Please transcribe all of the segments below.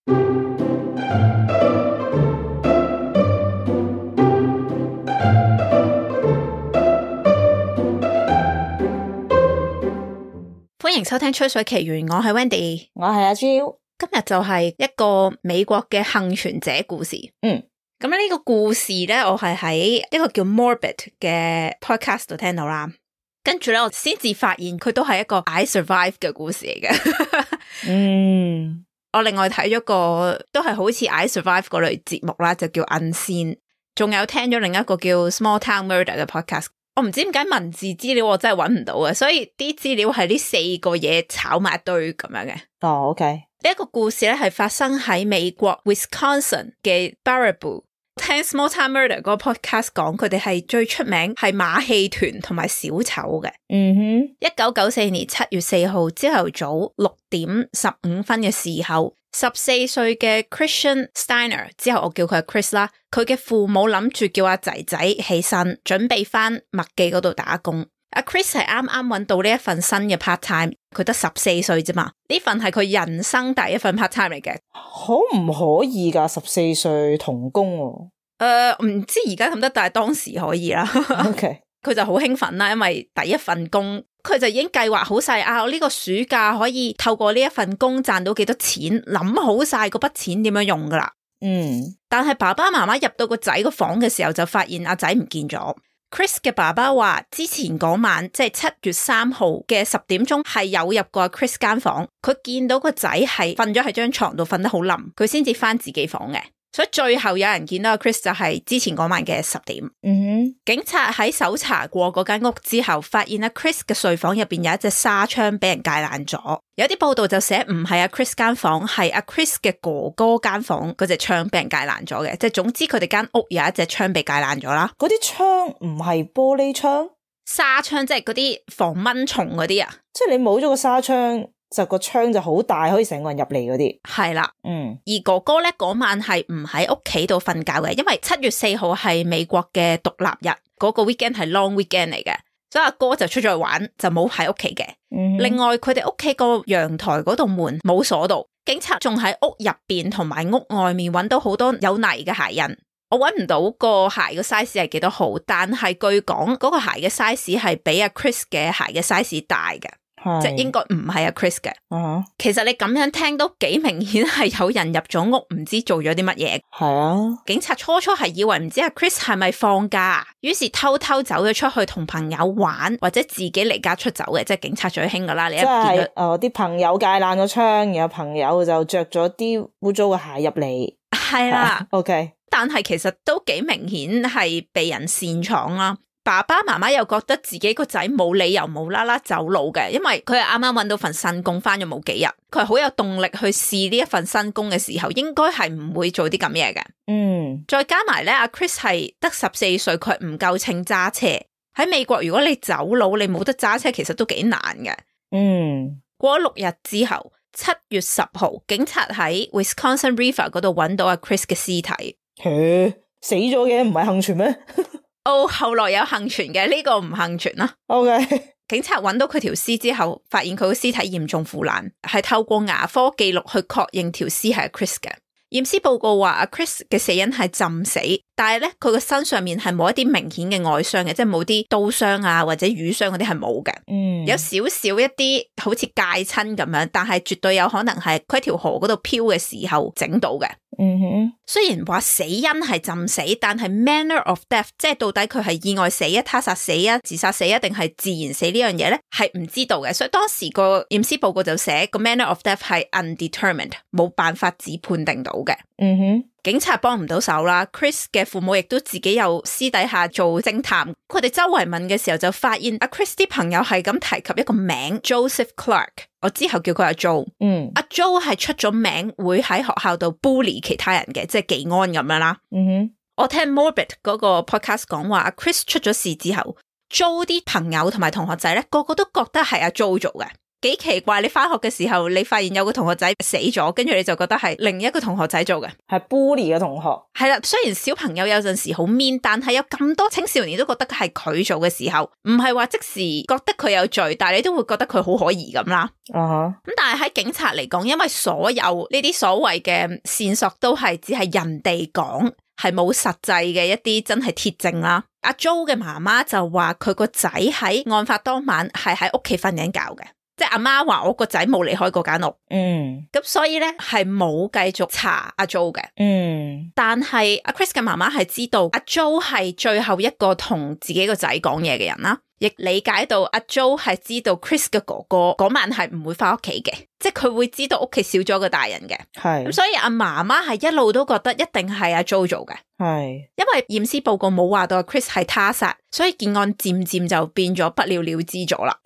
歡迎收聽吹水奇緣，我係 Wendy， 我係阿 Jill。今日就係一個美國嘅幸存者故事。咁呢個故事咧，我係喺一個叫 Morbid 嘅 podcast 度聽到啦。跟住咧，我先至發現佢都係一個 I survive 嘅故事嚟嘅。我另外睇咗個都係好似 I survive 嗰類節目啦，就叫 Unseen。仲有聽咗另一個叫 Small Town Murder 嘅 podcast。我唔知點解文字資料我真係搵唔到嘅，所以啲資料係呢4個嘢炒埋一堆咁樣嘅。哦，OK。呢一個故事咧係發生喺美國 Wisconsin 嘅 Baraboo。聽 Small Town Murder 嗰個 podcast 講，佢哋係最出名係馬戲團同埋小丑嘅。1994年7月4號朝頭早6點15分嘅時候，14歲嘅 Christian Steiner， 之後我叫佢 Chris 啦，佢嘅父母諗住叫阿仔仔起身，準備翻麥記嗰度打工。阿 Chris 係啱啱搵到呢一份新嘅 part time， 佢得14歲啫嘛，呢份係佢人生第一份 part time 嚟嘅。可唔可以噶？14歲童工喎？唔知而家得唔得，但係當時可以啦。OK， 佢就好興奮啦，因為第一份工，佢就已經計劃好晒啊！我呢個暑假可以透過呢一份工賺到幾多錢，諗好晒嗰筆錢點樣用噶啦。但係爸爸媽媽入到個仔個房嘅時候，就發現阿仔唔見咗。Chris 嘅爸爸話之前嗰晚即係7月3號嘅10點鐘係有入過 Chris 間房，佢見到個仔係瞓咗喺張床度瞓得好冧，佢先至翻自己房嘅。所以最後有人見到 Chris 就係之前嗰晚嘅10點。警察喺搜查過嗰間屋之後，發現阿 Chris 嘅睡房入邊有一隻紗窗俾人戒爛咗。有啲報道就寫唔係阿 Chris 間房，係阿 Chris 嘅哥哥間房嗰隻窗俾人戒爛咗嘅。即係總之佢哋間屋有一隻窗被戒爛咗啦。嗰啲窗唔係玻璃窗，紗窗即係嗰啲防蚊蟲嗰啲啊。即係你冇咗個紗窗，就個窗就好大，可以成個人入嚟嗰啲。係啦，而哥哥咧嗰晚係唔喺屋企度瞓覺嘅，因為7月4號係美國嘅獨立日，嗰個 weekend 係 long weekend 嚟嘅，所以阿哥就出咗去玩，就冇喺屋企嘅。另外佢哋屋企個陽台嗰度門冇鎖到，警察仲喺屋入邊同埋屋外面揾到好多有泥嘅鞋印。我揾唔到個鞋嘅 size 係幾多號，但係據講嗰個鞋嘅 size 係比阿 Chris 嘅鞋嘅 size 大嘅。即係應該唔係阿 Chris 嘅。其實你咁樣聽都幾明顯係有人入咗屋，唔知做咗啲乜嘢。係啊，警察初係以為唔知阿 Chris 係咪放假，於是偷偷走咗出去同朋友玩，或者自己離家出走嘅。即係警察最興噶啦，你一見到啲朋友戒爛咗窗，然後朋友就着咗啲污糟嘅鞋入嚟。係啦，OK。但係其實都幾明顯係被人擅闖啦。爸爸媽媽又覺得自己個仔冇理由無啦啦走佬嘅，因為佢係啱啱搵到份新工，返咗冇幾日，佢係好有動力去試呢一份新工嘅時候，應該係唔會做啲咁嘢嘅。再加埋咧，阿 Chris 係得14歲，佢唔夠稱揸車。喺美國，如果你走佬，你冇得揸車，其實都幾難嘅。過咗6日之後，7月10號，警察喺 Wisconsin River 嗰度搵到阿 Chris 嘅屍體。死咗嘅唔係幸存咩？後來有幸存嘅，呢個唔幸存啦。OK， 警察揾到佢條屍之後，發現佢個屍體嚴重腐爛，係透過牙科記錄去確認條屍係 Chris 嘅。驗屍報告話阿 Chris 嘅死因係浸死，但係咧佢個身上面係冇一啲明顯嘅外傷嘅，即係冇啲刀傷啊或者瘀傷嗰啲係冇嘅。有少少一啲好似戒親咁樣，但係絕對有可能係佢喺條河嗰度漂嘅時候整到嘅。雖然話死因係浸死，但係 manner of death， 即係到底佢係意外死啊、他殺死啊、自殺死啊定係自然死呢樣嘢咧，係唔知道嘅。所以當時個驗屍報告就寫個 manner of death 係 undetermined， 冇辦法只判定到嘅。警察幫唔到手啦。Chris 嘅父母亦都自己有私底下做偵探，佢哋周圍問嘅時候就發現阿 Chris 啲朋友係咁提及一個名 Joseph Clark， 我之後叫佢阿 Joe。阿 Joe 係出咗名會喺學校度 bully 其他人嘅，即係技安咁樣啦。我聽 Morbid 嗰個 podcast 講話，阿 Chris 出咗事之後，Joe 啲朋友同埋同學仔咧，個個都覺得係阿 Joe 做嘅。幾奇怪，你翻學嘅時候，你發現有個同學仔死咗，跟住你就覺得係另一個同學仔做嘅，係 bully 嘅同學。係啦，雖然小朋友有陣時好 mean， 但係有咁多青少年都覺得係佢做嘅時候，唔係話即時覺得佢有罪，但係你都會覺得佢好可疑咁啦。咁但係喺警察嚟講，因為所有呢啲所謂嘅線索都係只係人哋講，係冇實際嘅一啲真係鐵證啦。阿 Jo 嘅媽媽就話佢個仔喺案發當晚係喺屋企瞓緊覺嘅，即係阿媽話我個仔冇離開嗰間屋。咁所以咧係冇繼續查阿 Jo 嘅。但係阿 Chris 嘅媽媽係知道阿 Jo 係最後一個同自己個仔講嘢嘅人啦，亦理解到阿 Jo 係知道 Chris 嘅哥哥嗰晚係唔會翻屋企嘅，即係佢會知道屋企少咗個大人嘅。咁所以阿媽媽係一路都覺得一定係阿 Jo 做嘅。因為驗屍報告冇話到阿 Chris 係他殺，所以件案漸漸就變咗不了了之咗啦。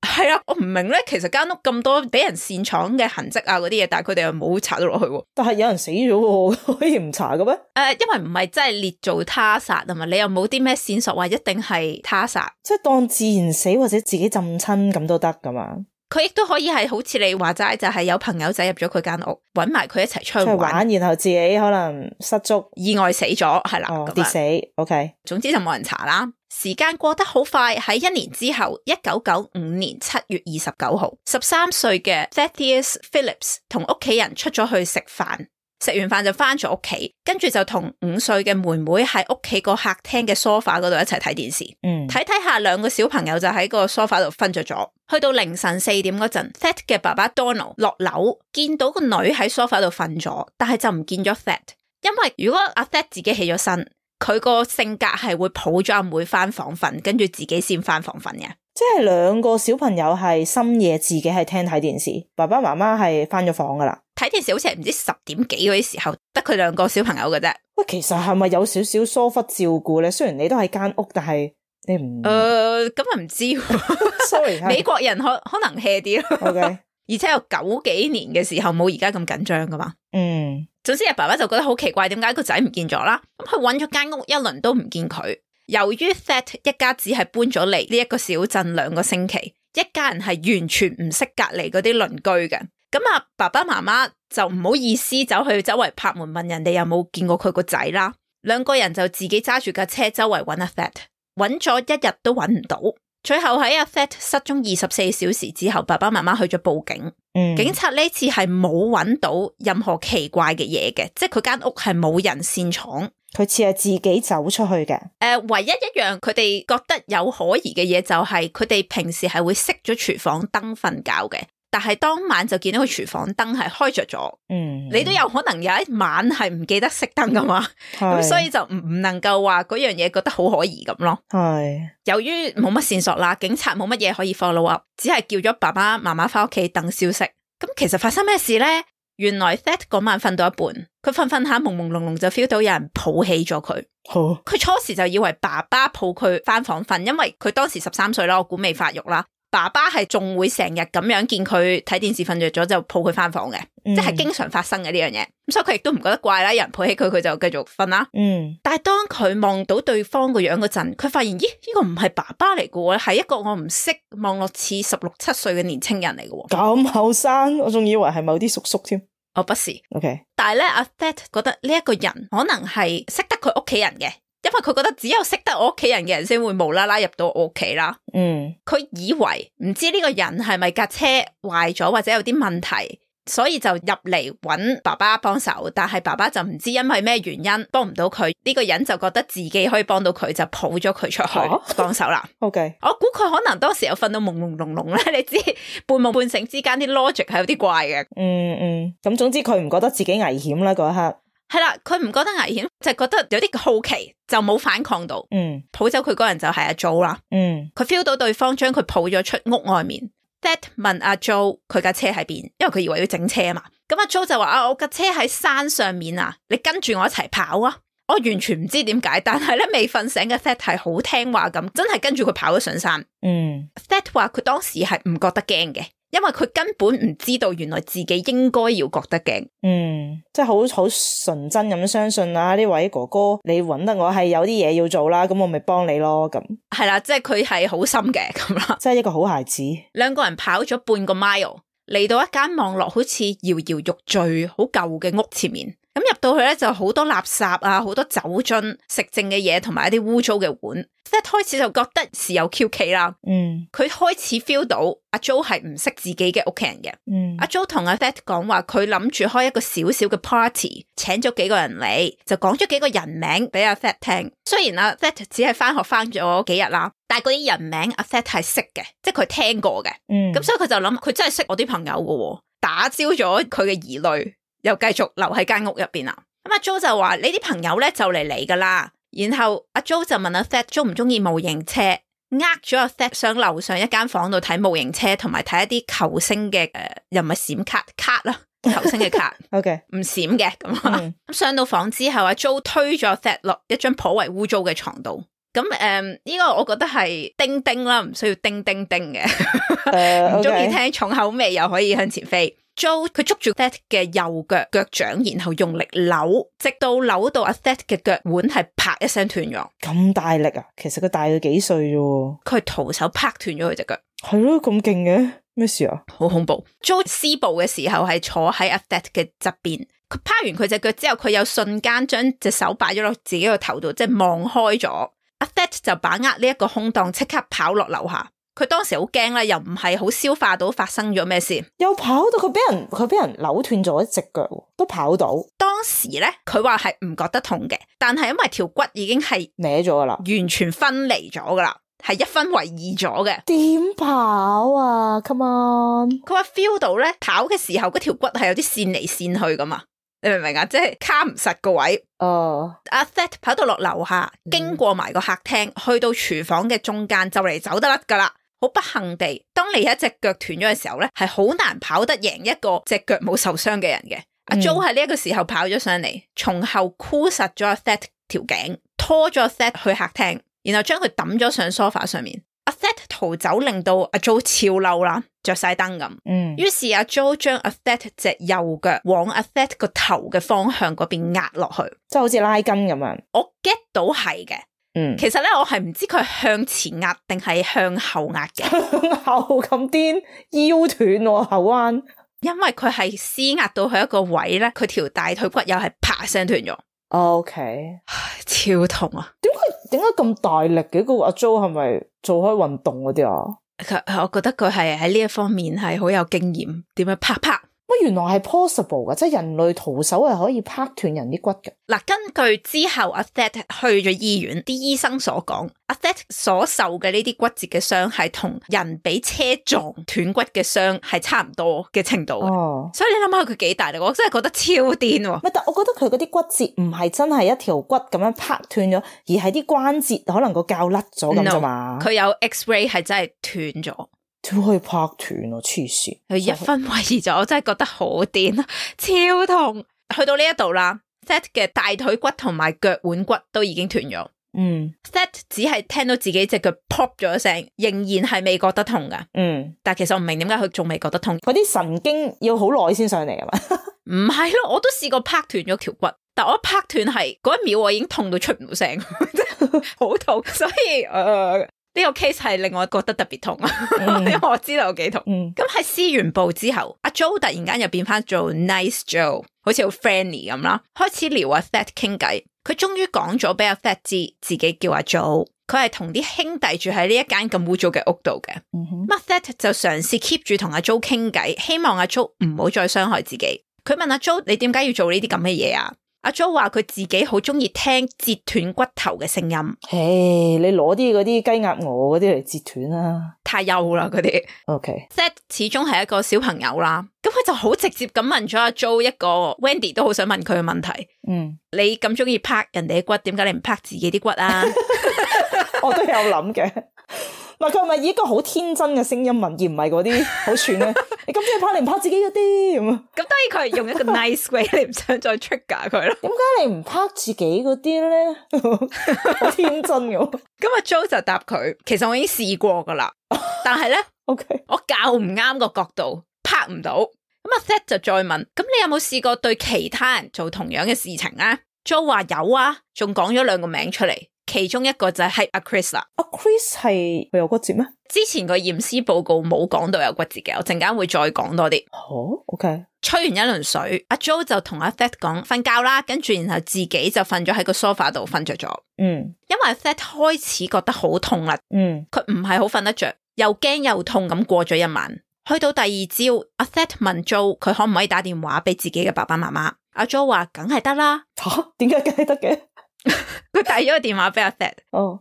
係啊，我唔明咧，其實間屋咁多俾人擅闖嘅痕跡啊嗰啲嘢，但係佢哋又冇查到落去。但係有人死咗喎，可以唔查嘅咩？因為唔係真係列做他殺啊嘛，你又冇啲咩線索話一定係他殺，即係當自然死或者自己浸親咁都得噶嘛？佢亦都可以係好似你話齋，就係有朋友仔入咗佢間屋，搵埋佢一齊出去玩，然後自己可能失足意外死咗，係啦，跌死。OK， 總之就冇人查啦。時間過得好快，喺1年之後，1995年7月29號，13歲嘅 Thaddeus Phillips 同屋企人出咗去食飯，食完飯就翻咗屋企，跟住就同5歲嘅妹妹喺屋企個客廳嘅 sofa 嗰度一齊睇電視。睇下兩個小朋友就喺個 sofa 度瞓着咗。去到凌晨4點嗰陣 ，Thad 嘅爸爸 Donald 落樓見到個女喺 sofa 度瞓咗，但係就唔見咗 Thad， 因為如果阿 Thad 自己起咗身，佢個性格係會抱咗阿妹翻房瞓，跟住自己先翻房瞓嘅。即係兩個小朋友係深夜自己喺廳睇電視，爸爸媽媽係翻咗房噶啦。睇電視好似係唔知10點幾嗰啲時候，得佢兩個小朋友嘅啫。喂，其實係咪有少少疏忽照顧咧？雖然你都喺間屋，但係你唔咁啊唔知，sorry， 美國人可能 hea 啲咯。OK， 而且有90幾年嘅時候冇而家咁緊張噶嘛。總之阿爸爸就覺得好奇怪，點解個仔唔見咗啦？咁佢揾咗間屋一輪都唔見佢。由於 Thad 一家只係搬咗嚟呢一個小鎮2個星期，一家人係完全唔識隔離嗰啲鄰居嘅。咁啊，爸爸媽媽就唔好意思走去周圍拍門問人哋有冇見過佢個仔啦。兩個人就自己揸住架車周圍揾阿 Thad， 揾咗一日都揾唔到。最後喺阿 Thad 失蹤24小時之後，爸爸媽媽去咗報警。警察呢次係冇揾到任何奇怪嘅嘢嘅，即係佢間屋係冇人擅闖，佢似係自己走出去嘅。唯一一樣佢哋覺得有可疑嘅嘢就係佢哋平時係會熄咗廚房燈瞓覺嘅。但係當晚就見到個廚房燈係開着咗，你都有可能有一晚係唔記得熄燈噶嘛，咁所以就唔能夠話嗰樣嘢覺得好可疑咁咯。由於冇乜線索啦，警察冇乜嘢可以 follow up， 只係叫咗爸爸媽媽翻屋企等消息。咁其實發生咩事呢？原來 Thad 嗰晚瞓到一半，佢瞓下朦朦朧朧就 feel 到有人抱起咗佢。佢初時就以為爸爸抱佢翻房瞓，因為佢當時13歲啦，我估未發育啦。爸爸係仲會成日咁樣見佢睇電視瞓着咗就抱佢翻房嘅，即係經常發生嘅呢樣嘢。咁所以佢亦都唔覺得怪啦，有人抱起佢，佢就繼續瞓啦。但係當佢望到對方個樣嗰陣，佢發現咦，呢個唔係爸爸嚟嘅喎，係一個我唔識望落似16、17歲嘅年青人嚟嘅喎。咁後生，我仲以為係某啲叔叔添。不是。OK， 但係咧，阿 Thad 覺得呢一個人可能係識得佢屋企人嘅。因為佢覺得只有識得我屋企人嘅人先會無啦啦入到我屋企啦。佢以為唔知呢個人係咪架車壞咗或者有啲問題，所以就入嚟揾爸爸幫手。但係爸爸就唔知因為咩原因幫唔到佢，呢個人就覺得自己可以幫到佢，就抱咗佢出去幫手啦。OK， 我估佢可能當時有瞓到朦朦朧朧咧，你知半夢半醒之間啲 logic 係有啲怪嘅。咁總之佢唔覺得自己危險啦嗰一刻。係啦，佢唔覺得危險，就覺得有啲好奇，就冇反抗到。抱走佢嗰人就係阿 Jo 啦。佢 feel 到對方將佢抱咗出屋外面。Thad 問阿 Jo 佢架車喺邊，因為佢以為要整車啊嘛。咁阿 Jo 就話我架車喺山上面啊，你跟住我一齊跑啊。我完全唔知點解，但係咧未瞓醒嘅 Thad 係好聽話咁，真係跟住佢跑咗上山。Thad 話佢當時係唔覺得驚嘅。因為佢根本唔知道原來自己應該要覺得驚。即係好純真咁相信啊，呢位哥哥你揾得我係有啲嘢要做啦，咁我咪幫你咯咁。係啦，即係佢係好心嘅咁啦，即係一個好孩子。兩個人跑咗半個 mile， 嚟到一間望落好似搖搖欲墜好舊嘅屋前面。咁入到去咧就好多垃圾啊，好多酒樽、食剩嘅嘢同埋一啲污糟嘅碗。That 開始就覺得事有蹊蹺啦。佢開始 feel 到阿 Jo 係唔識自己嘅屋企人嘅。阿 Jo 同阿 That 講話，佢諗住開一個小小嘅 party， 請咗幾個人嚟，就講咗幾個人名俾阿 That 聽。雖然阿 That 只係翻學翻咗幾日啦，但係嗰啲人名阿 That 係識嘅，即係佢聽過嘅。咁所以佢就諗，佢真係識我啲朋友嘅，打消咗佢嘅疑慮。又繼續留喺間屋入邊啦。咁阿 Jo 就話：你啲朋友咧就嚟噶啦。然後阿 Jo 就問阿 That 中唔中意模型車，咗阿 That 上樓上一間房度睇模型車，同埋睇一啲球星嘅又唔係閃卡啦，球星嘅卡，OK 唔閃嘅咁。咁上到房之後，阿 Jo 推咗 That 落一張頗為污糟嘅床度。咁呢個我覺得係叮叮啦，唔需要叮叮叮嘅。唔中意聽重口味又可以向前飛。Jo 佢捉住 That 嘅右腳掌，然後用力扭，直到扭到阿 That 嘅腳腕係啪一聲斷咗。咁大力啊！其實佢大佢幾歲啫？佢徒手啪斷咗佢隻腳。係咯，咁勁嘅咩事啊？好恐怖。Jo 施暴嘅時候係坐喺阿 That 嘅側邊，佢啪完佢隻腳之後，佢有瞬間將隻手擺咗落自己個頭度，即係望開咗。阿 That 就把握呢一個空檔，即刻跑落樓下。佢當時好驚啦，又唔係好消化到發生咗咩事，又跑到佢俾人扭斷咗一隻腳，都跑到。當時咧，佢話係唔覺得痛嘅，但係因為條骨已經係歪咗噶啦，完全分離咗噶啦，係一分為二咗嘅。點跑啊 ？Come on！ 佢話 feel 到咧，跑嘅時候嗰條骨係有啲線嚟線去噶嘛，你明唔明啊？即係卡唔實個位。阿 That 跑到落樓下，經過埋個客廳，去到廚房嘅中間，就嚟走得甩噶啦。好不幸地，當你一隻腳斷咗嘅時候咧，係好難跑得贏一個隻腳冇受傷嘅人嘅。阿 Jo 喺呢一個時候跑咗上嚟，從後箍實咗阿 That 條頸，拖咗阿 That 去客廳，然後將佢抌咗上梳化上面。阿 That 逃走，令到阿 Jo 超嬲啦，着晒燈咁。於是阿 Jo 將阿 That 隻右腳往阿 That 個頭嘅方向嗰邊壓落去，即係好似拉筋咁樣。我 get 到係嘅。其實咧，我係唔知佢係向前壓定係向後壓嘅。向後咁癲，腰斷喎，後彎。因為佢係施壓到佢一個位咧，佢條大腿骨又係啪聲斷咗。OK，超痛啊！點解咁大力嘅？個阿 Jo 係咪做開運動嗰啲啊？我覺得佢係喺呢一方面係好有經驗，點樣啪啪。原來係 possible 嘅，即係人類徒手係可以拍斷人啲骨嘅。嗱，根據之後阿 That 去咗醫院，啲醫生所講，阿 That 所受嘅呢啲骨折嘅傷係同人俾車撞斷骨嘅傷係差唔多嘅程度嘅。所以你諗下佢幾大力，我真係覺得超癲喎。但我覺得佢嗰啲骨折唔係真係一條骨咁樣拍斷咗，而係啲關節可能個膠甩咗咁啫嘛。佢有 X-ray 係真係斷咗。都可以拍斷咯，黐線！佢一分為二咗，我真係覺得好癲啊，超痛！去到呢一度啦 ，That 嘅大腿骨同埋腳腕骨都已經斷咗。That 只係聽到自己隻腳 pop 咗一聲，仍然係未覺得痛噶。但係其實我唔明點解佢仲未覺得痛。嗰啲神經要好耐先上嚟啊嘛？唔係咯，我都試過拍斷咗條骨，但我一拍斷係嗰一秒我已經痛到出唔到聲，好痛，所以呢個 case 係令我覺得特別痛啊，因為我知道有幾痛。咁喺施完暴之後，阿 Jo 突然間又變翻做 Nice Joe， 好似好 friendly 咁啦，開始撩阿 That 傾偈。佢終於講咗俾阿 That 知，自己叫阿 Jo， 佢係同啲兄弟住喺呢一間咁污糟嘅屋度嘅。阿 That 就嘗試 keep 住同阿 Jo 傾偈，希望阿 Jo 唔好再傷害自己。佢問阿 Jo：你點解要做呢啲咁嘅嘢啊？阿 Jo 話佢自己好中意聽截斷骨頭嘅聲音。你攞啲嗰啲雞鴨鵝嗰啲嚟截斷啦，太幼啦嗰啲。That 始終係一個小朋友啦，咁佢就好直接咁問咗阿 Jo 一個 Wendy 都好想問佢嘅問題。你咁中意拍人哋嘅骨，點解你唔拍自己啲骨啊？我都有諗嘅。唔係佢係咪以一個好天真嘅聲音問，而唔係嗰啲好串咧？你咁中意拍，你唔拍自己嗰啲咁啊？咁當然佢係用一個 nice way， 你唔想再 trigger 佢咯。點解你唔拍自己嗰啲咧？好天真嘅。咁阿 Jo 就答佢，其實我已經試過噶啦，但係咧，OK，我校唔啱個角度，拍唔到。咁阿 Seth 就再問，咁你有冇試過對其他人做同樣嘅事情啊？ Jo 話有啊，仲講咗2個名出嚟，其中一個就係阿 Chris 啦。阿 Chris 係佢有骨折咩？之前個驗屍報告冇講到有骨折嘅，我陣間會再講多啲。好 ，OK。吹完一輪水，阿 Jo 就同阿 Seth 講瞓覺啦，跟住然後自己就瞓咗喺個 sofa 度瞓着咗。因為阿 Seth 開始覺得好痛啦。佢唔係好瞓得着，又驚又痛咁過咗一晚。去到第二朝，阿 Seth 問 Jo 佢可唔可以打電話俾自己嘅爸爸媽媽。阿 Jo 話梗係得啦。點解梗係得嘅？佢遞咗個電話俾阿 Seth。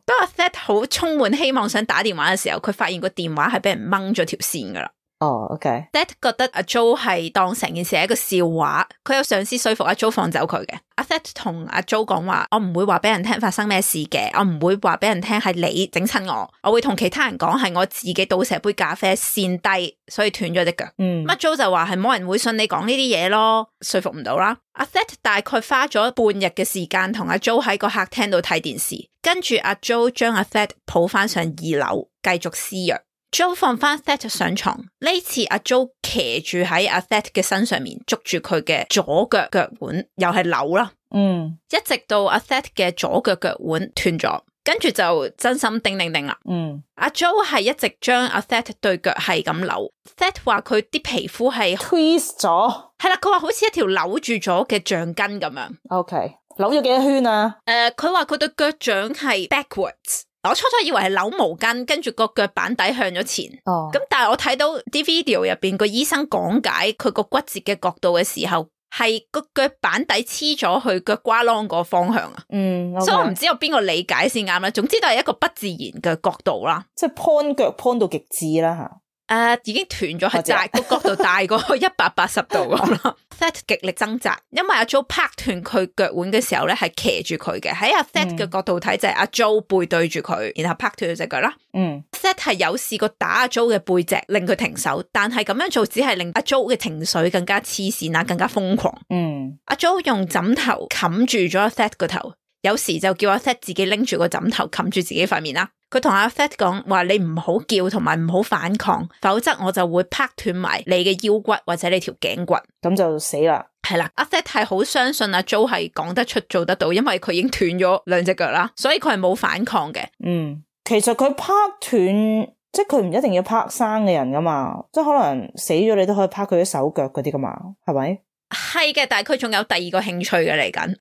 當阿 Seth 好充滿希望想打電話嘅時候，佢發現個電話係俾人掹咗條線噶啦。OK。Seth 覺得阿 Jo 係當成件事係一個笑話，佢有嘗試說服阿 Jo 放走佢嘅。阿 Seth 同阿 Jo 講話，我唔會話俾人聽發生咩事嘅，我唔會話俾人聽係你整親我會同其他人講係我自己倒瀉杯咖啡跣低，所以斷咗隻腳。阿 Jo 就話係冇人會信你講呢啲嘢咯，說服唔到啦。阿 Seth 大概花咗半日嘅時間同阿 Jo 喺個客廳度睇電視，跟住阿 Jo 將阿 Seth 抱翻上2樓繼續施虐。Jo 放翻 Seth 上床，呢次阿 Jo 騎住喺阿 Seth 嘅身上面，捉住佢嘅左腳腳腕，又係扭啦。一直到阿 Seth 嘅左腳腳腕斷咗，跟住就真心叮叮叮啦。阿 Jo 係一直將阿 Seth 對腳係咁扭。Seth 話佢啲皮膚係 twist 咗，係啦，佢話好似一條扭住咗嘅橡筋咁樣。OK， 扭咗幾多圈啊？佢話佢對腳掌係 backwards。我初初以為係扭毛巾，跟住個腳板底向咗前。咁但係我睇到啲 video 入邊個醫生講解佢個骨折嘅角度嘅時候，係個腳板底黐咗去腳瓜啷個方向啊。Okay. 所以我唔知有邊個理解先啱啦。總之都係一個不自然嘅角度啦，即係 point 腳 point 到極致啦吓。已經斷咗，係大個角度大過180度咁啦。Seth 極力掙扎，因為阿 Jo 拍斷佢腳腕嘅時候咧，係騎住佢嘅。喺阿 Seth 嘅角度睇就係阿 Jo 背對住佢，然後拍斷佢隻腳啦。Seth 係有試過打阿 Jo 嘅背脊，令佢停手，但係咁樣做只係令阿 Jo 嘅情緒更加黐線啊，更加瘋狂。阿 Jo 用枕頭冚住咗阿 Seth 個頭，有時就叫阿 Seth 自己拎住個枕頭冚住自己塊面啦。佢同阿 Seth 講話，你唔好叫同埋唔好反抗，否則我就會拍斷埋你嘅腰骨或者你條頸骨，咁就死啦。係啦，阿 Seth 係好相信阿 Jo 係講得出做得到，因為佢已經斷咗2隻腳啦，所以佢係冇反抗嘅。其實佢拍斷，即係佢唔一定要拍生嘅人噶嘛，即係可能死咗你都可以拍佢啲手腳嗰啲噶嘛，係咪？係嘅，但係佢仲有第2個興趣嘅嚟緊。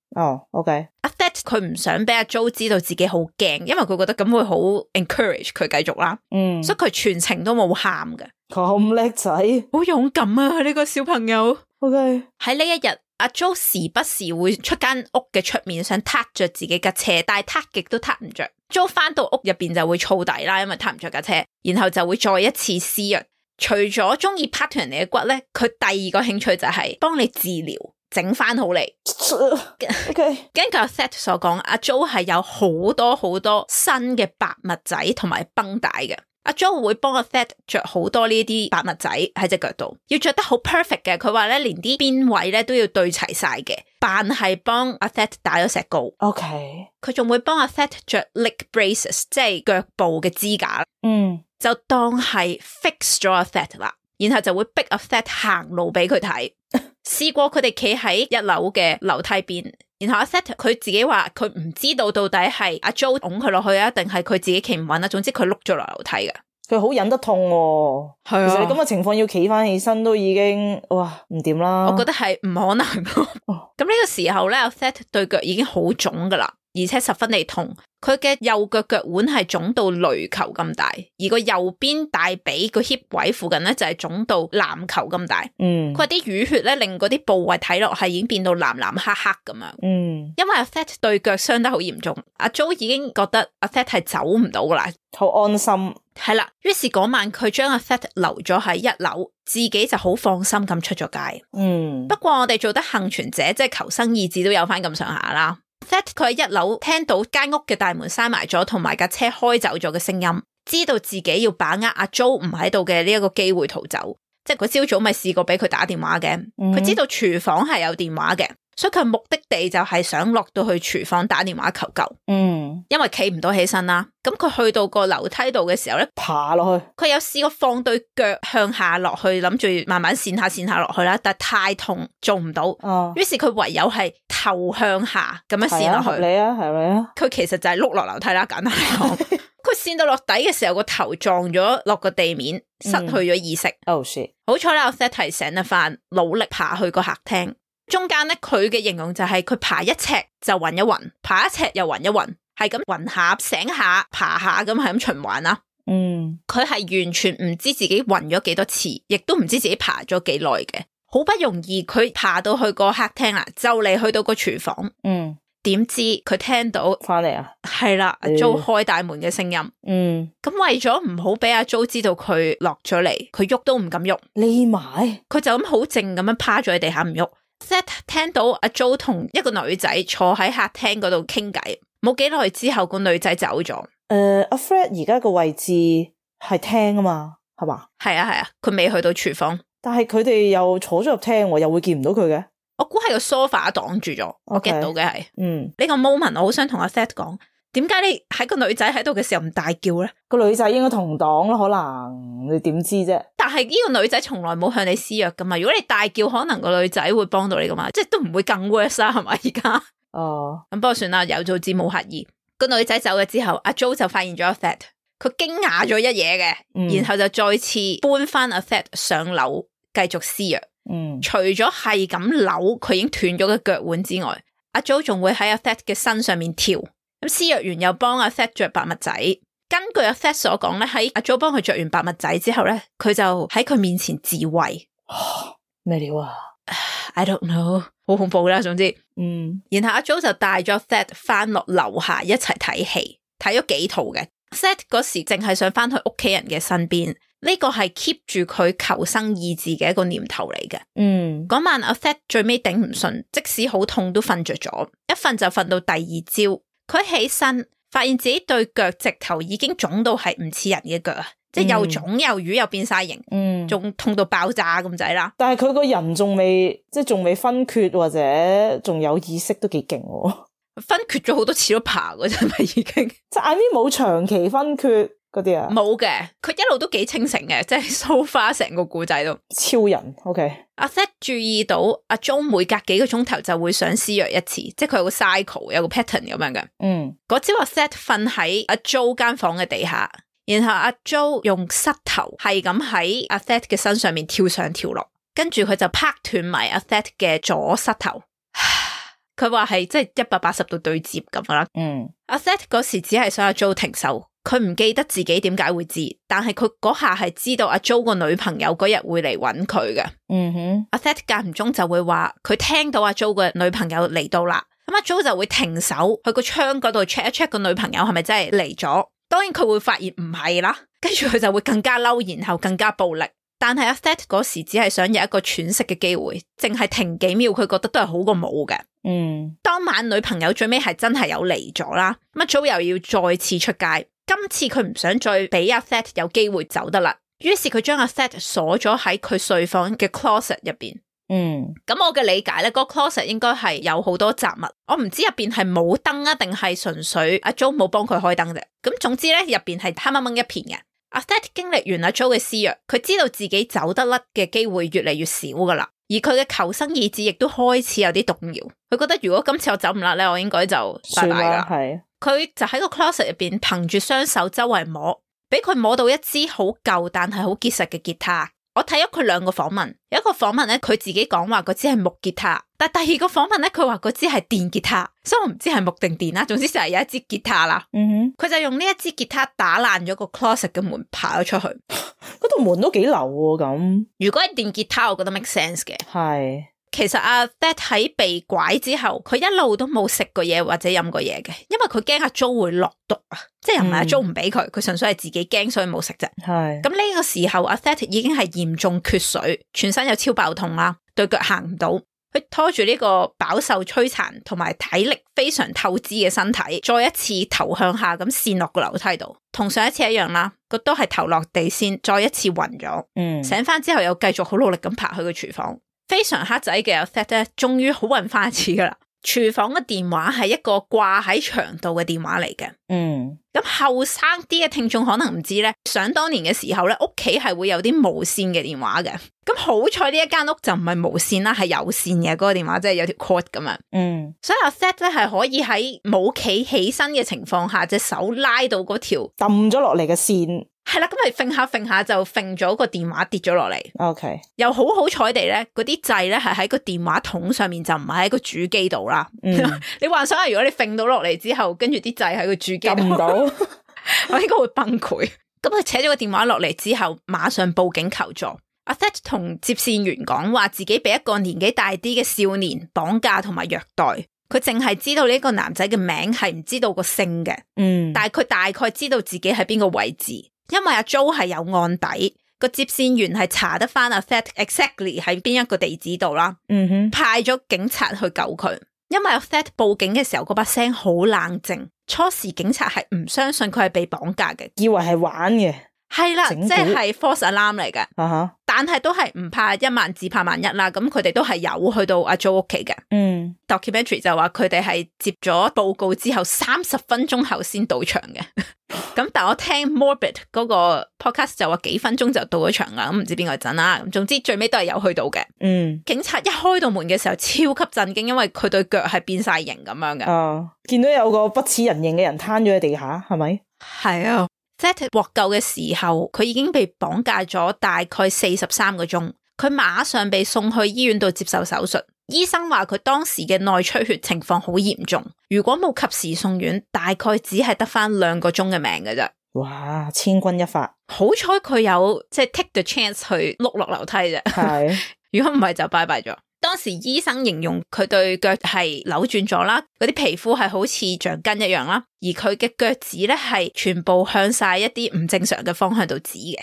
OK。阿 Seth 佢唔想俾阿 Jo 知道自己好驚，因為佢覺得咁會好 encourage 佢繼續啦。所以佢全程都冇喊嘅。咁叻仔，好勇敢啊！呢個小朋友。OK。喺呢一日，阿 Jo 時不時會出間屋嘅出面想撻着自己架車，但係撻極都撻唔着。Jo 翻到屋入邊就會燥底啦，因為撻唔着架車，然後就會再一次施虐。除咗中意拍斷人哋嘅骨咧，佢第2個興趣就係幫你治療，整翻好你。OK。根據阿 Seth 所講，阿 Jo 係有好多好多新嘅白襪仔同埋繃帶嘅。阿 Jo 會幫阿 Seth 着好多呢啲白襪仔喺隻腳度，要着得好 perfect 嘅。佢話咧，連啲邊位咧都要對齊晒嘅，扮係幫阿 Seth 打咗石膏。OK。佢仲會幫阿 Seth 着 leg braces， 即係腳部嘅支架。就當係 fix 咗阿 Seth 啦，然後就會逼阿 Seth 行路俾佢睇。試過佢哋企喺1樓嘅樓梯邊，然後阿 Seth 佢自己話佢唔知道到底係阿 Jo 拱佢落去啊，定係佢自己企唔穩啊。總之佢碌咗落樓梯嘅。佢好忍得痛喎。係啊，其實你咁嘅情況要企翻起身都已經哇唔掂啦。我覺得係唔可能。咁呢個時候咧，阿 Seth 對腳已經好腫噶啦，而且十分地痛。佢嘅右腳腳腕係腫到壘球咁大，而個右邊大髀個 hip 位附近咧就係腫到籃球咁大。佢話啲淤血咧令嗰啲部位睇落係已經變到藍藍黑黑咁樣。因為阿 Seth 對腳傷得好嚴重，阿 Jo 已經覺得阿 Seth 係走唔到噶啦，好安心。係啦，於是嗰晚佢將阿 Seth 留咗喺1樓，自己就好放心咁出咗街。不過我哋做得幸存者，即係求生意志都有翻咁上下啦。Seth 佢喺1樓聽到間屋嘅大門閂埋咗，同埋架車開走咗嘅聲音，知道自己要把握阿 Jo 唔喺度嘅呢一個機會逃走。即係佢朝早咪試過俾佢打電話嘅，佢知道廚房係有電話嘅，所以佢目的地就係想落到去廚房打電話求救。因為企唔到起身啦，咁佢去到個樓梯度嘅時候咧，爬落去，佢有試過放對腳向下落去，諗住慢慢跣下落去啦，但係太痛做唔到，於是佢唯有係頭向下咁樣跣落去。係啊，佢其實就係碌落樓梯啦，簡單嚟講。佢跣到落底嘅時候，個頭撞咗落個地面，失去咗意識。Oh shit！好彩啦，阿 Seth 係醒得翻，努力爬去個客廳。中間咧，佢嘅形容就係佢爬一尺就暈一暈，爬一尺又暈一暈，係咁暈下醒下爬下咁係咁循環啦。佢係完全唔知自己暈咗幾多次，亦都唔知自己爬咗幾耐嘅。好不容易佢爬到去個客廳啦，就嚟去到個廚房。點知佢聽到翻嚟啊，係啦，阿 Jo 開大門嘅聲音。咁為咗唔好俾阿 Jo 知道佢落咗嚟，佢喐都唔敢喐，匿埋，佢就咁好靜咁樣趴咗喺地下唔喐。Seth 聽到阿 Jo 同一個女仔坐喺客廳嗰度傾偈，冇幾耐之後個女仔走咗。阿 Fred 而家個位置係廳啊嘛，係嘛？係啊，佢未去到廚房，但係佢哋又坐咗入廳，又會見唔到佢嘅。我估係個 sofa 擋住咗，我 get 到嘅係。呢個 moment 我好想同阿 Seth 講，點解你喺個女仔喺度嘅時候唔大叫咧？個女仔應該同黨咯，可能你點知啫？但係呢個女仔從來冇向你施虐噶嘛，如果你大叫，可能個女仔會幫到你噶嘛，即係都唔會更 worse 啦，係咪而家？咁不過算啦，有做之冇乞兒。個女仔走咗之後，阿 Jo 就發現咗阿 Seth，佢驚訝咗一嘢嘅，然後就再次搬翻阿 Seth 上樓繼續施虐。除咗係咁扭佢已經斷咗嘅腳腕之外，阿 Jo 仲會喺阿 Seth 嘅身上面跳。咁施虐完又幫阿 Seth 着白襪仔。根據阿 Seth 所講咧，喺阿 Jo 幫佢着完白襪仔之後咧，佢就喺佢面前自慰。咩料啊 ？I don't know， 好恐怖啦。總之，然後阿 Jo 就帶咗 Seth 翻落樓下一齊睇戲，睇咗幾套嘅。Seth 嗰時淨係想翻去屋企人嘅身邊。呢個係 keep 住佢求生意志嘅一個念頭嚟嘅。嗰晚阿 Seth 最尾頂唔順，即使好痛都瞓着咗，一瞓就瞓到第二朝。佢起身發現自己對腳直頭已經腫到係唔似人嘅腳啊，即係又腫又瘀又變晒形，仲痛到爆炸咁滯啦。但係佢個人仲未分缺或者仲有意識，都幾勁喎。分缺咗好多次都爬嗰陣咪已經，即係 I mean 冇長期分缺。嗰啲啊，冇嘅，佢一路都幾清醒嘅，即係 so far 成個故仔都超人。OK， 阿 Seth 注意到阿 Jo 每隔幾個鐘頭就會想施虐一次，即係佢有個 cycle， 有個 pattern 咁樣嘅。嗰朝阿 Seth 瞓喺阿 Jo 間房嘅地下，然後阿 Jo 用膝頭係咁喺阿 Seth 嘅身上面跳上跳落，跟住佢就拍斷埋阿 Seth 嘅左膝頭。佢話係即係180度對接咁啦。阿 Seth 嗰時只係想阿 Jo 停手。佢唔記得自己點解會知，但係佢嗰下係知道阿 Jo 個女朋友嗰日會嚟揾佢嘅。阿 Seth 間唔中就會話佢聽到阿 Jo 個女朋友嚟到啦，咁阿 Jo 就會停手去個窗嗰度 check 一 check 個女朋友係咪真係嚟咗。當然佢會發現唔係啦，跟住佢就會更加嬲，然後更加暴力。但係阿 Seth 嗰時只係想有一個喘息嘅機會，淨係停幾秒，佢覺得都係好過冇嘅。當晚女朋友最尾係真係有嚟咗啦，咁阿 Jo 又要再次出街。今次佢唔想再俾阿 Seth 有機會走得啦，於是佢將阿 Seth 鎖咗喺佢睡房嘅 closet 入邊。咁我嘅理解咧，嗰個 closet 應該係有好多雜物，我唔知入邊係冇燈啊，定係純粹阿 Jo 冇幫佢開燈啫。咁總之咧，入邊係黑掹掹一片嘅。阿 Seth 經歷完阿 Jo 嘅施虐，佢知道自己走得甩嘅機會越嚟越少噶啦，而佢嘅求生意志亦都開始有啲動搖。佢覺得如果今次我走唔甩咧，我應該就拜拜噶啦。佢就喺個 closet 入邊，憑住雙手周圍摸，俾佢摸到一支好舊但係好結實嘅吉他。我睇咗佢兩個訪問，有一個訪問咧，佢自己講話嗰支係木吉他，但第二個訪問咧，佢話嗰支係電吉他，所以我唔知係木定電啦。總之就係有一支吉他啦。佢就用呢一支吉他打爛咗個 closet 嘅門，爬咗出去。嗰道門都幾流喎咁。如果係電吉他，我覺得 make sense 嘅。係。其實阿 Seth 喺被拐之後，佢一路都冇食過嘢或者飲過嘢嘅，因為佢驚阿 Jo 會落毒啊，即係又唔係阿 Jo 唔俾佢，佢純粹係自己驚所以冇食啫。係咁呢個時候，阿 Seth 已經係嚴重缺水，全身有超爆痛啦，對腳行唔到。佢拖住呢個飽受摧殘同埋體力非常透支嘅身體，再一次頭向下咁跣落個樓梯度，同上一次一樣啦，個都係頭落地先，再一次暈咗。醒翻之後又繼續好努力咁爬去個廚房，非常黑仔嘅 Seth 咧，終於好暈翻一次噶啦。廚房嘅電話係一個掛喺牆度嘅電話嚟嘅。咁後生啲嘅聽眾可能唔知咧，想當年嘅時候咧，屋企係會有啲無線嘅電話嘅。咁好彩呢一間屋就唔係無線啦，係有線嘅嗰個電話，即係有條 cord 咁樣。所以阿 Seth 咧係可以喺冇企起身嘅情況下，隻手拉到嗰條抌咗落嚟嘅線。係啦，咁咪揈下揈下就揈咗個電話跌咗落嚟。OK， 又好彩地咧，嗰啲掣咧係喺個電話筒上面，就唔係喺個主機度啦。你幻想下，如果你揈到落嚟之後，跟住啲掣喺個主機度，撳唔到，我應該會崩潰。咁佢扯咗個電話落嚟之後，馬上報警求助。阿 Seth 同接線員講話，自己俾一個年紀大啲嘅少年綁架同埋虐待。佢淨係知道呢個男仔嘅名，係唔知道個姓嘅。但係佢大概知道自己喺邊個位置。因為阿 Joe 係有案底，個接線員係查得翻阿 Seth exactly 喺邊一個地址度啦，派咗警察去救佢。因為阿 Seth 報警嘅時候，嗰把聲好冷靜，初時警察係唔相信佢係被綁架嘅，以為係玩嘅。係啦，即係 false alarm 嚟嘅。但係都係唔怕一萬至怕萬一啦。咁佢哋都係有去到阿 Joe 屋企嘅。documentary 就話佢哋係接咗報告之後30分鐘後先到場嘅。咁但我聽 Morbid 嗰個 podcast 就話幾分鐘就到咗場啦。咁唔知邊個陣啦。咁總之最尾都係有去到嘅。警察一開到門嘅時候超級震驚，因為佢對腳係變晒形咁樣嘅。見到有個不似人形嘅人攤咗喺地下，係咪？係啊。Seth 獲救嘅時候，佢已經被綁架咗大概43個鐘，佢馬上被送去醫院度接受手術。醫生話佢當時嘅內出血情況好嚴重，如果冇及時送院，大概只係得翻2個鐘嘅命嘅啫。哇，千鈞一髮，好彩佢有即係 take the chance 去碌落樓梯啫。係，如果唔係就拜拜咗。當時醫生形容佢對腳係扭轉咗啦，嗰啲皮膚係好似橡筋一樣啦，而佢嘅腳趾咧係全部向晒一啲唔正常嘅方向度指嘅。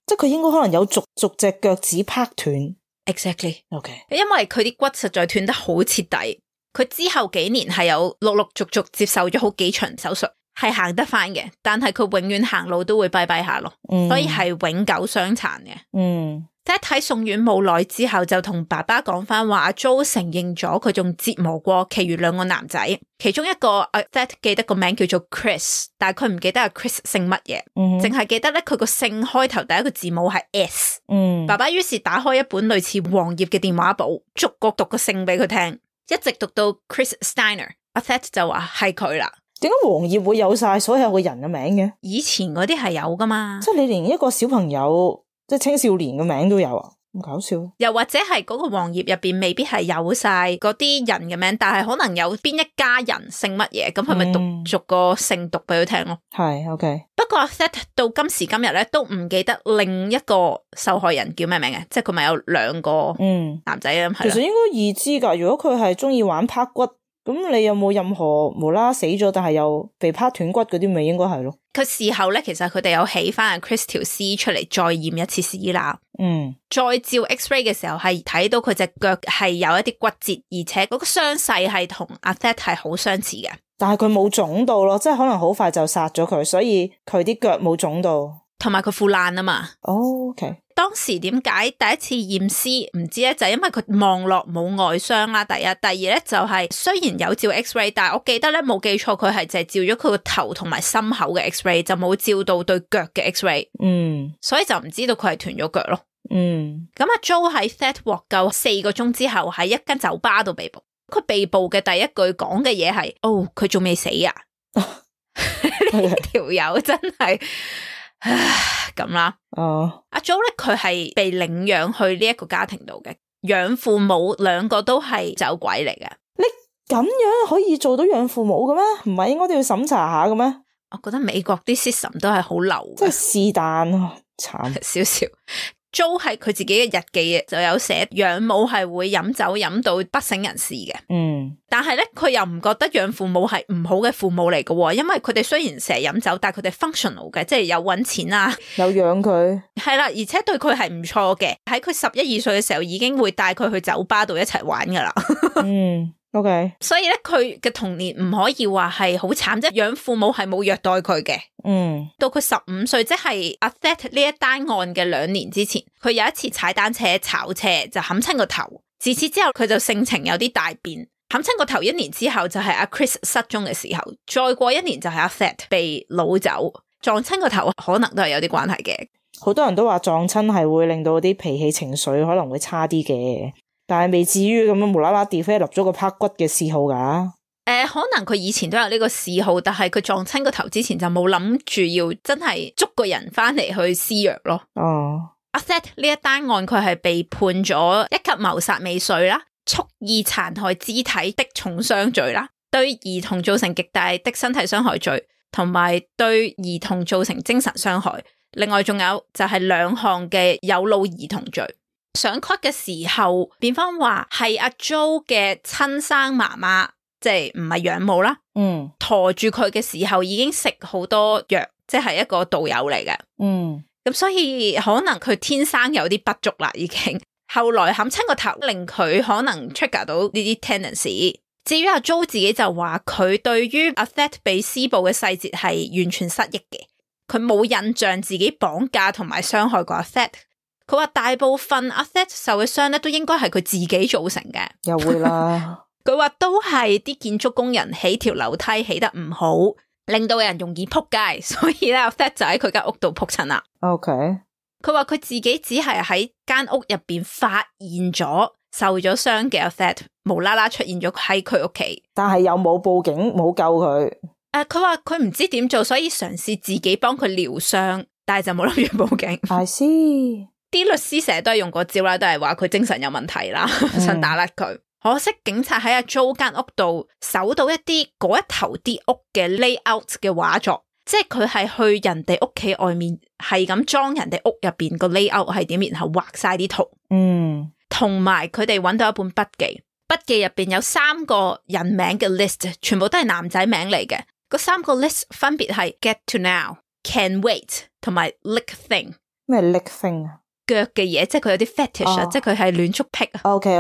即係佢應該可能有逐隻腳趾拍斷。Exactly。OK。因為佢啲骨實在斷得好徹底，佢之後幾年係有陸續接受咗好幾場手術，係行得翻嘅，但係佢永遠行路都會跛跛下咯，所以係永久傷殘嘅。Seth 喺送院冇耐之後就同爸爸講翻話，阿 Joe 承認咗佢仲折磨過其餘2個男仔，其中一個Seth 記得個名叫做 Chris， 但係佢唔記得阿 Chris 姓乜嘢，淨係記得咧佢個姓開頭第一個字母係 S。爸爸於是打開一本類似黃頁嘅電話簿，逐個讀個姓俾佢聽，一直讀到 Chris Steiner， 阿 Seth 就話係佢啦。點解黃頁會有晒所有嘅人嘅名嘅？以前嗰啲係有噶嘛，即係你連一個小朋友即係青少年嘅名都有啊，咁搞笑。又或者係嗰個黃頁入邊未必係有晒嗰啲人嘅名，但係可能有邊一家人姓乜嘢，咁佢咪逐個姓讀俾佢聽咯。係 OK。不過 Seth 到今時今日咧都唔記得另一個受害人叫咩名嘅，即係佢咪有2個男仔啊。其實應該易知噶，如果佢係中意玩拍骨，咁你有冇任何無啦死咗但係又被拍斷骨嗰啲，咪應該係咯。佢事後咧，其實佢哋有起翻阿 Chris 條屍出嚟再驗一次屍啦。再照 X-ray 嘅時候係睇到佢隻腳係有一啲骨折，而且嗰個傷勢係同阿 Seth 係好相似嘅。但係佢冇腫到咯，即係可能好快就殺咗佢，所以佢啲腳冇腫到。同埋佢腐爛啊嘛。OK。當時點解第一次驗屍唔知咧，就係因為佢望落冇外傷啦。第一，第二咧就係雖然有照 X-ray， 但係我記得咧冇記錯，佢係淨係照咗佢個頭同埋心口嘅 X-ray， 就冇照到對腳嘅 X-ray。所以就唔知道佢係斷咗腳咯。咁阿 Joe 喺 Seth 獲救4個鐘之後，喺一間酒吧度被捕。佢被捕嘅第一句講嘅嘢係：哦，佢仲未死啊！呢條友真係。咁啦，阿 Joe 咧佢係被領養去呢一個家庭度嘅，養父母2個都係走鬼嚟嘅。你咁樣可以做到養父母嘅咩？唔係應該都要審查下嘅咩？我覺得美國啲 system 都係好流嘅，即係是但慘少少。Jo 喺佢自己嘅日記就有寫養母係會飲酒飲到不省人事嘅。但係咧佢又唔覺得養父母係唔好嘅父母嚟嘅，因為佢哋雖然成日飲酒，但係佢哋 functional 嘅，即係有搵錢啊，有養佢。係啦，而且對佢係唔錯嘅。喺佢11、12歲嘅時候已經會帶佢去酒吧度一齊玩噶啦。OK， 所以咧佢嘅童年唔可以話係好慘，即係養父母係冇虐待佢嘅。到佢15歲，即係阿 Thet 呢一單案嘅2年之前，佢有一次踩單車炒車就冚親個頭，自此之後佢就性情有啲大變。冚親個頭1年之後就係阿 Chris 失蹤嘅時候，再過1年就係阿 Thet 被擄走，撞親個頭可能都係有啲關係嘅。好多人都話撞親係會令到啲脾氣情緒可能會差啲嘅。但係未至於咁樣無啦啦 develop 咗個拍骨嘅嗜好噶。可能佢以前都有呢個嗜好，但係佢撞親個頭之前就冇諗住要真係捉個人翻嚟去施虐咯。阿 Thet 呢一單案佢係被判咗1級謀殺未遂啦，蓄意殘害肢體的重傷罪啦，對兒童造成極大的身體傷害罪，同埋對兒童造成精神傷害。另外仲有就係2項嘅有腦兒童罪。上 court 嘅時候，辯方話係阿 Jo 嘅親生媽媽，即係唔係養母啦。馱住佢嘅時候已經食好多藥，即係一個導友嚟嘅。咁所以可能佢天生有啲不足啦，已經。後來冚親個頭，令佢可能 trigger 到呢啲 tendency。至於阿 Jo 自己就話，佢對於阿 Thet 被施暴嘅細節係完全失憶嘅，佢冇印象自己綁架同埋傷害過阿 Thet。佢話大部分阿 Thet 受嘅傷咧，都應該係佢自己造成嘅。又會啦。佢話都係啲建築工人起條樓梯起得唔好，令到人容易撲街，所以咧阿 Thet 就喺佢間屋度撲親啦。OK。佢話佢自己只係喺間屋入邊發現咗受咗傷嘅阿 Thet，無啦啦出現咗喺佢屋企，但係又冇報警冇救佢。佢話佢唔知點做，所以嘗試自己幫佢療傷，但係就冇諗住報警。I see。啲律師成日都係用個招啦，都係話佢精神有問題啦，想打甩佢。可惜警察喺阿 Jo 間屋度搜到一啲嗰一頭啲屋嘅 layout 嘅畫作，即係佢係去人哋屋企外面係咁裝人哋屋入邊個 layout 係點，然後畫晒啲圖。同埋佢哋揾到一本筆記，筆記入邊有3個人名嘅 list， 全部都係男仔名嚟嘅。嗰3個 list 分別係 get to know、can wait 同埋 lick thing。咩 lick thing 啊？腳嘅嘢，即係佢有啲 fetish 啊，即係佢係戀足癖啊。OK。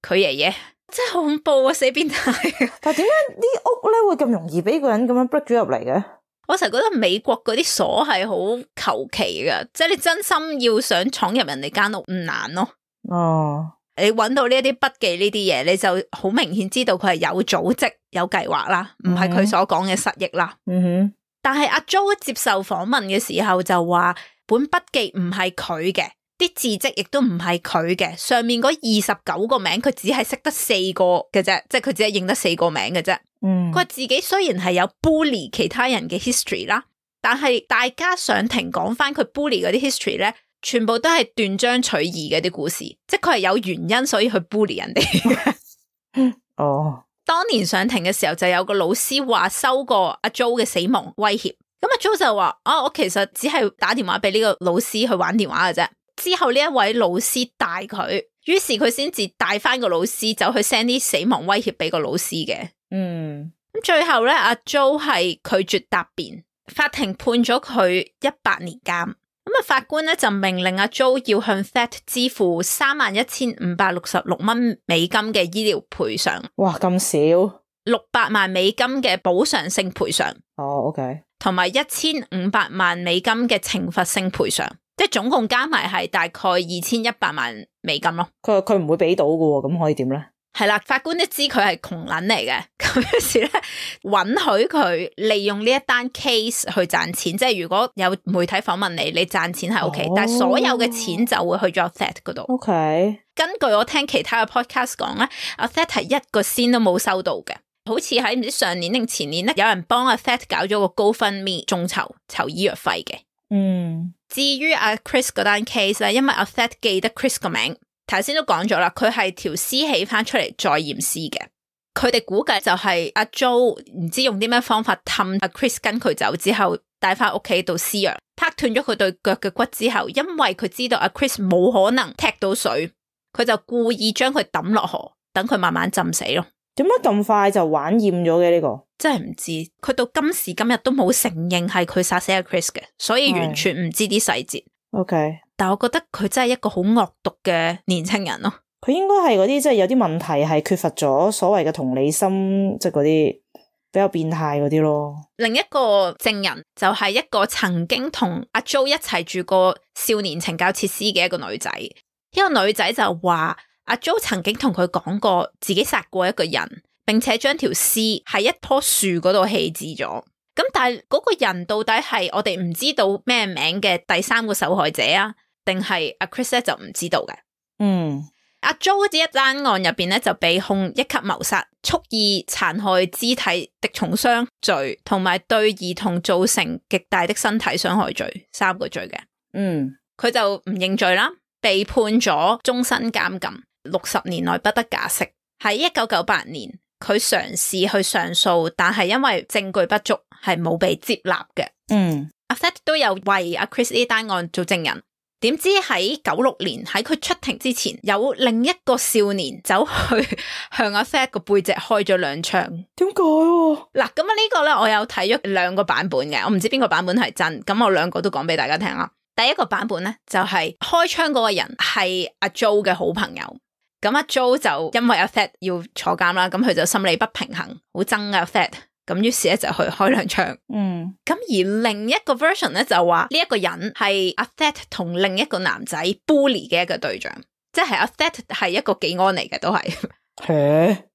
佢爺爺真係好恐怖啊，死變態。但係點解啲屋咧會咁容易俾個人咁樣 break 咗入嚟嘅？我成日覺得美國嗰啲鎖係好求其噶，即係你真心要想闖入人哋間屋唔難咯。你揾到呢一啲筆記呢啲嘢，你就好明顯知道佢係有組織、有計劃啦，唔係佢所講嘅失憶啦。但係阿 Jo 接受訪問嘅時候就話，本筆記唔係佢嘅。啲字跡亦都唔係佢嘅，上面嗰29個名佢只係識得4個嘅啫，即係佢只係認得4個名嘅啫。佢話自己雖然係有 bully 其他人嘅 history 啦，但係大家上庭講翻佢 bully 嗰啲 history 咧，全部都係斷章取義嘅啲故事，即係佢係有原因所以去 bully 人哋嘅。當年上庭嘅時候就有個老師話收過阿 Jo 嘅死亡威脅，咁阿 Jo 就話我其實只係打電話俾呢個老師去玩電話嘅啫。之後呢一位老師帶佢，於是佢先至帶翻個老師走去 send 啲死亡威脅俾個老師嘅。咁最後咧，阿 Jo 係拒絕答辯，法庭判咗佢18年監。咁啊，法官咧就命令阿 Jo 要向 Thet 支付31,566蚊美金嘅醫療賠償。哇，咁少！600萬美金嘅補償性賠償。OK。同埋1500萬美金嘅懲罰性賠償。即係總共加埋係大概2100萬美金咯。佢唔會俾到㗎，咁可以點咧？係啦，法官都知佢係窮撚嚟嘅，咁於是咧允許佢利用呢一單 case 去賺錢。即係如果有媒體訪問你賺錢係 OK，但係所有嘅錢就會去咗 Thet 嗰度。OK。根據我聽其他嘅 podcast 講咧，阿 Thet 係1個仙都冇收到嘅。好似喺唔知上年定前年咧，有人幫阿 Thet 搞咗個 GoFundMe 眾籌醫藥費嘅。至於阿 Chris 嗰單 case 咧，因為阿 Thet 記得 Chris 個名，頭先都講咗啦，佢係條屍起翻出嚟再驗屍嘅。佢哋估計就係阿 Jo 唔知用啲咩方法氹阿 Chris 跟佢走之後帶翻屋企度施藥，拍斷咗佢對腳嘅骨之後，因為佢知道阿 Chris 冇可能踢到水，佢就故意將佢抌落河，等佢慢慢浸死咯。點解咁快就玩厭咗嘅呢個？真係唔知，佢到今時今日都冇承認係佢殺死阿 Chris 嘅，所以完全唔知啲細節。OK， 但我覺得佢真係一個好惡毒嘅年輕人咯。佢應該係嗰啲即係有啲問題，係缺乏咗所謂嘅同理心，即係嗰啲比較變態嗰啲咯。另一個證人就係一個曾經同阿 Jo 一齊住過少年懲教設施嘅一個女仔。呢個女仔就話阿 Jo 曾經同佢講過自己殺過一個人，並且將條屍喺一棵樹嗰度棄置咗。咁但係嗰個人到底係我哋唔知道咩名嘅第三個受害者啊，定係阿 Chris 咧就唔知道嘅。阿 Jo 呢一單案入邊咧就被控一級謀殺、蓄意殘害肢體敵重傷罪，同埋對兒童造成極大的身體傷害罪，3個罪嘅。佢就唔認罪啦，被判咗終身監禁，60年內不得假釋。喺1998年，佢嘗試去上訴，但係因為證據不足，係冇被接納嘅。阿 Fat 都有為阿 Chris 呢單案做證人。點知喺96年喺佢出庭之前，有另一個少年走去向阿 Fat 個背脊開咗2槍。點解？嗱，咁呢個咧，我有睇咗2個版本嘅，我唔知邊個版本係真，咁我2個都講俾大家聽啦。第一個版本咧就係開槍嗰個人係阿 Jo 嘅好朋友，咁阿 Jo 就因為阿 Fat 要坐監啦，咁佢就心理不平衡，好憎阿 Fat。咁於是咧就去開2槍。咁而另一個 version 咧就話呢一個人係阿 Fat 同另一個男仔 bully 嘅一個對象，即係阿 Fat 係一個技安嚟嘅，都係。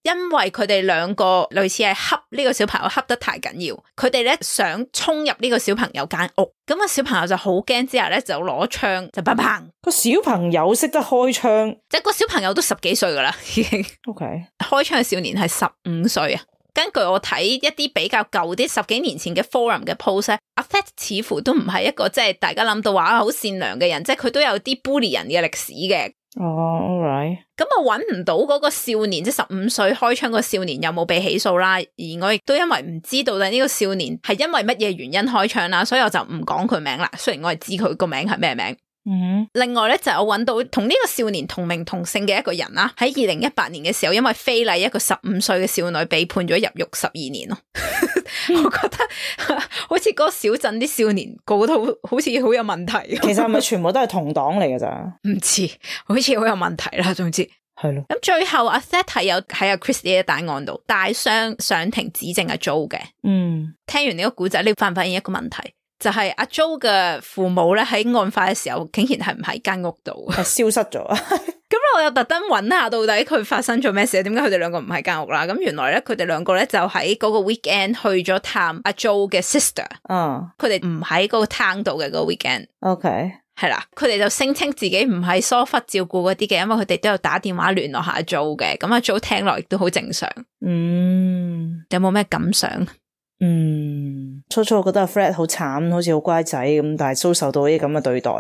因為佢哋2個類似係恰呢個小朋友恰得太緊要，佢哋咧想衝入呢個小朋友間屋，咁個小朋友就好驚，之後咧就攞槍就砰砰。個小朋友識得開槍，即係個小朋友都10幾歲噶啦，已經。OK， 開槍嘅少年係15歲啊。根據我睇一啲比較舊啲10幾年前嘅 forum 嘅 post， 阿 Fat 似乎都唔係一個即係大家諗到話好善良嘅人，即係佢都有啲 bully 人嘅歷史嘅。all right。咁我揾唔到嗰個少年，即係15歲開槍個少年有冇被起訴啦，而我亦都因為唔知道呢個少年係因為乜嘢原因開槍啦，所以我就唔講佢名啦。雖然我係知佢個名係咩名。另外咧就我揾到同呢個少年同名同姓嘅一個人啦，喺2018年嘅時候，因為非禮一個15歲嘅少女，被判咗入獄12年咯。我覺得好似嗰個小鎮啲少年個個都好似好有問題。其實係咪全部都係同黨嚟嘅咋？唔知，好似好有問題啦。總之係咯。咁最後阿 Seth 係有喺阿 Chris 呢一單案度帶傷上庭指證阿 Jo 嘅。聽完呢個故仔，你發唔發現一個問題？就係阿 Jo 嘅父母咧喺案發嘅時候，竟然係唔喺間屋度，係消失咗。咁我又特登揾下到底佢發生咗咩事，點解佢哋2個唔喺間屋啦？咁原來咧佢哋2個咧就喺嗰個 weekend 去咗探阿 Jo 嘅 sister。佢哋唔喺嗰個 town 度嘅嗰個 weekend。OK， 係啦，佢哋就聲稱自己唔係疏忽照顧嗰啲嘅，因為佢哋都有打電話聯絡下阿 Jo 嘅。咁阿 Jo 聽落亦都好正常。有冇咩感想？初初我覺得阿 Fred 好慘，好似好乖仔咁，但係遭受到啲咁嘅對待。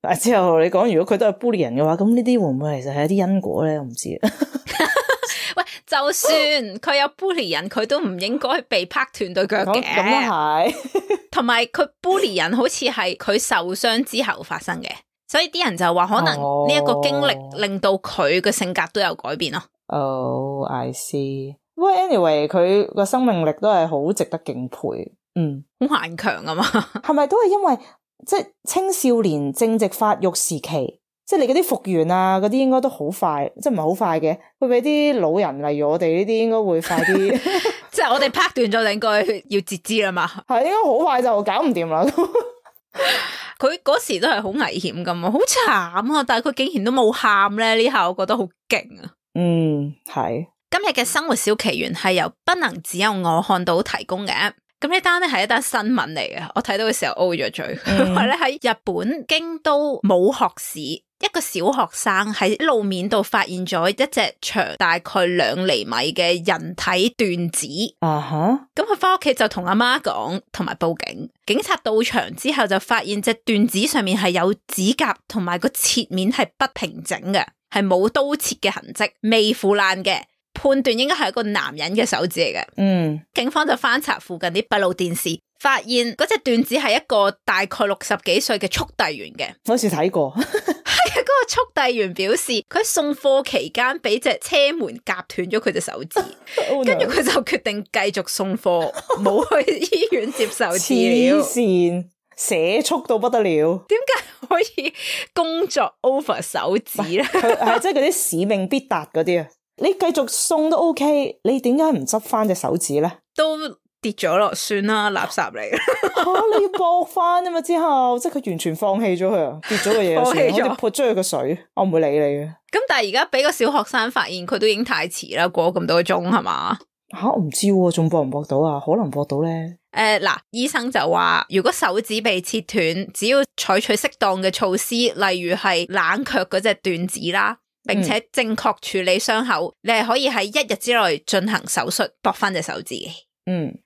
但係之後你講，如果佢都係 bully 人嘅話，咁呢啲會唔會其實係一啲因果咧？我唔知。喂，就算佢有 bully 人，佢都唔應該被拍斷對腳嘅。咁都係。同埋佢 bully 人，好似係佢受傷之後發生嘅，所以啲人就話可能呢一個經歷令到佢嘅性格都有改變咯。I see。不過 anyway， 佢個生命力都係好值得敬佩。好頑強啊嘛。係咪都係因為即係青少年正值發育時期，即係你嗰啲復原啊嗰啲應該都好快，即係唔係好快嘅，會比啲老人例如我哋呢啲應該會快啲。即係我哋拍斷咗，應該要截肢啦嘛。係應該好快就搞唔掂啦。佢嗰時都係好危險噶嘛，好慘啊！但係佢竟然都冇喊咧，呢下我覺得好勁啊。係。今日嘅生活小奇緣係由不能只有我看到提供嘅。咁呢單咧係一單新聞嚟嘅，我睇到嘅時候 O 咗嘴。因為咧喺日本京都武學市，一個小學生喺路面度發現咗一隻長大概2厘米嘅人體斷指。咁佢翻屋企就同阿媽講，同埋報警。警察到場之後就發現隻斷指上面係有指甲，同埋個切面係不平整嘅，係冇刀切嘅痕跡，未腐爛嘅。判斷應該係一個男人嘅手指嚟嘅。警方就翻查附近啲閉路電視，發現嗰隻斷指係一個大概60幾歲嘅速遞員嘅。好似睇過。係啊，嗰個速遞員表示佢喺送貨期間俾隻車門夾斷咗佢隻手指，跟住佢就決定繼續送貨，冇去醫院接受治療。黐線，寫速到不得了。點解可以工作 over 手指咧？係即係嗰啲使命必達嗰啲啊！你繼續送都 OK， 你點解唔執翻隻手指咧？都跌咗咯，算啦，垃圾嚟。你要駁翻啊嘛！之後即係佢完全放棄咗佢啊，跌咗個嘢算，好似潑咗佢個水，我唔會理你嘅。咁但係而家俾個小學生發現，佢都已經太遲啦，過咗咁多個鐘係嘛？我唔知喎，仲駁唔駁到啊？可能駁到咧。嗱，醫生就話，如果手指被切斷，只要採取適當嘅措施，例如係冷卻嗰隻斷指啦，並且正確處理傷口，你係可以喺1日之內進行手術駁翻隻手指嘅。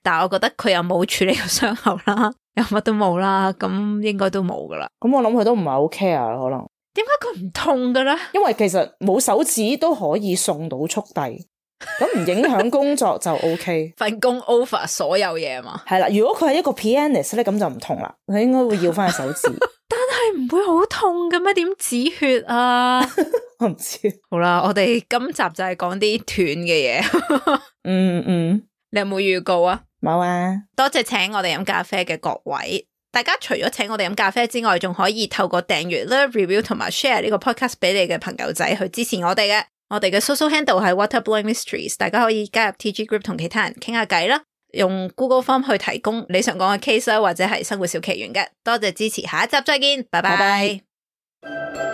但係我覺得佢又冇處理個傷口啦，又乜都冇啦，咁應該都冇噶啦。咁我諗佢都唔係好 care 可能。點解佢唔痛噶咧？因為其實冇手指都可以送到速遞，咁唔影響工作就 OK。份工 over 所有嘢嘛。係啦，如果佢係一個 pianist 咧，咁就唔同啦，佢應該會要翻隻手指。但係唔會好痛嘅咩？點止血啊？我唔知。好啦，我哋今集就係講啲斷嘅嘢。你有冇預告啊？冇啊！多謝請我哋飲咖啡嘅各位，大家除咗請我哋飲咖啡之外，仲可以透過訂閱啦、review 同埋 share 呢個 podcast 俾你嘅朋友仔去支持我哋嘅。我哋嘅 social handle 係 Waterblowing Mysteries， 大家可以加入 TG group 同其他人傾下偈啦，用 Google Form 去提供你想講嘅 case 啦，或者係生活小奇緣嘅。多謝支持，下一集再見，拜拜。